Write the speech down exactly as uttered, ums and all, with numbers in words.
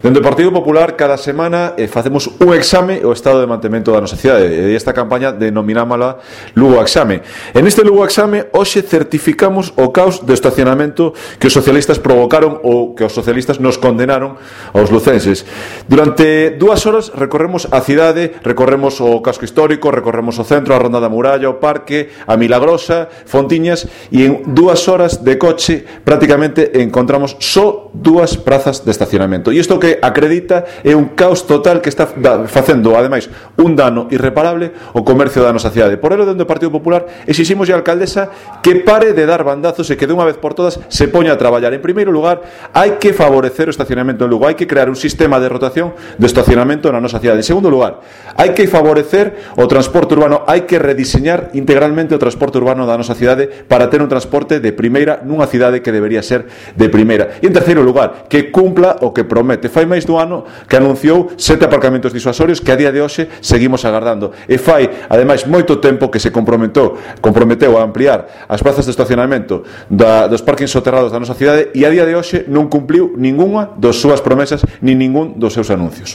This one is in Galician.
Dende o Partido Popular, cada semana eh, facemos un exame o estado de mantemento da nosa cidade, e esta campaña denominámosla Lugo Exame. En este Lugo Exame, hoxe certificamos o caos de estacionamento que os socialistas provocaron ou que os socialistas nos condenaron aos lucenses. Durante dúas horas recorremos a cidade, recorremos o casco histórico, recorremos o centro, a Ronda da Muralla, o parque, a Milagrosa, Fontiñas, e en dúas horas de coche prácticamente encontramos só dúas prazas de estacionamento. E isto que acredita é un caos total que está facendo, ademais, un dano irreparable ao comercio da nosa cidade. Por elo, dentro do Partido Popular, exiximos a alcaldesa que pare de dar bandazos e que de unha vez por todas se poña a traballar. En primeiro lugar, hai que favorecer o estacionamento en Lugo, hai que crear un sistema de rotación de estacionamento na nosa cidade. En segundo lugar, hai que favorecer o transporte urbano, hai que rediseñar integralmente o transporte urbano da nosa cidade para ter un transporte de primeira nunha cidade que debería ser de primeira. E en terceiro lugar, que cumpla o que promete. Fai máis do ano que anunciou sete aparcamentos disuasorios que a día de hoxe seguimos agardando. E fai, ademais, moito tempo que se comprometeu, comprometeu a ampliar as plazas de estacionamento da, dos parkings soterrados da nosa cidade, e a día de hoxe non cumpliu ningunha das súas promesas ni ningún dos seus anuncios.